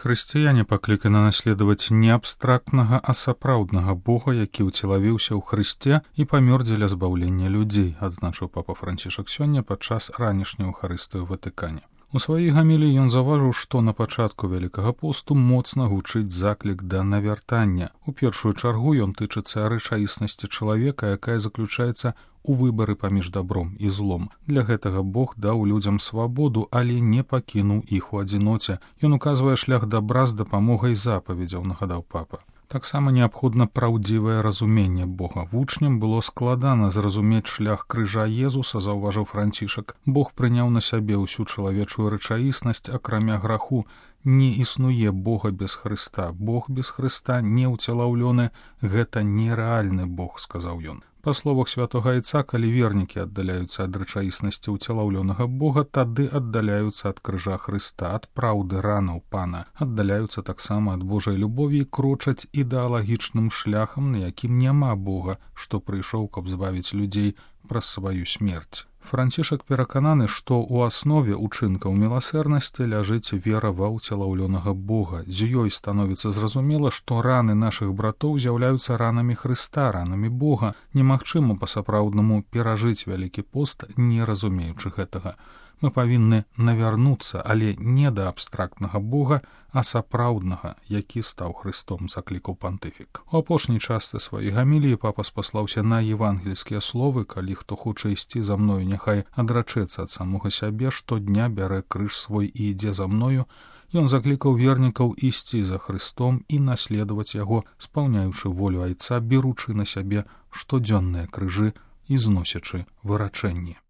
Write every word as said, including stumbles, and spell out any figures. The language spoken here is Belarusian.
Хрысціяне пакліканы наследаваць не абстрактнага, а сапраўднага Бога, які ўцелавіўся ў Хрысце і памёр дзеля збаўлення людзей, адзначыў папа Францішак сёння падчас ранішняй Еўхарыстыі ў Ватыкане. У сваёй гаміліі ён заўважыў, што на пачатку Вялікага посту моцна гучыць заклік да навяртання. У першую чаргу ён тычыцца рэчаіснасці чалавека, якая заключаецца у выбары паміж добром і злом. Для гэтага Бог даў людзям свабоду, але не пакінуў іх у адзіноце. Ён указвае шлях добра з дапамогай запаведзяў, нагадаў папа. Таксама неабходна праўдзівае разуменне Бога. Вучням было складана зразумець шлях крыжа Езуса, заўважыў Францішак. Бог прыняў на сябе ўсю чалавечую рэчаіснасць, акрамя граху. Не існуе Бога без Хрыста. Бог без Хрыста не ўцелаўлёны. Гэта нерэальны Бог, сказаў ён. Па словах святога Айца, калі вернікі аддаляюцца ад рэчаіснасці ўцелаўлёнага Бога, тады аддаляюцца ад крыжа Хрыста, ад праўды ранаў Пана, аддаляюцца таксама ад Божай любові і крочаць ідэалагічным шляхам, на якім няма Бога, што прыйшоў, каб збавіць людзей праз сваю смерць. Францішак перакананы, што ў аснове ўчынкаў міласэрнасці ляжыць вера ва ўцелаўлёнага Бога. З ёй становіцца зразумела, што раны нашых братоў з'яўляюцца ранамі Хрыста, ранамі Бога. Немагчыма па-сапраўднаму перажыць Вялікі пост, не разумеючы гэтага. Мы павінны навярнуцца, але не да абстрактнага Бога, а сапраўднага, які стаў Хрыстом, заклікаў пантыфік. У апошняй частцы сваёй гаміліі папа спаслаўся на евангельскія словы: калі хто хоча ісці за мною, няхай адрачэцца ад самога сябе, штодня бярэ крыж свой і ідзе за мною. Ён заклікаў вернікаў ісці за Хрыстом і наследаваць яго, спаўняючы волю Айца, беручы на сябе штодзённыя крыжы і зносячы вырачэнні.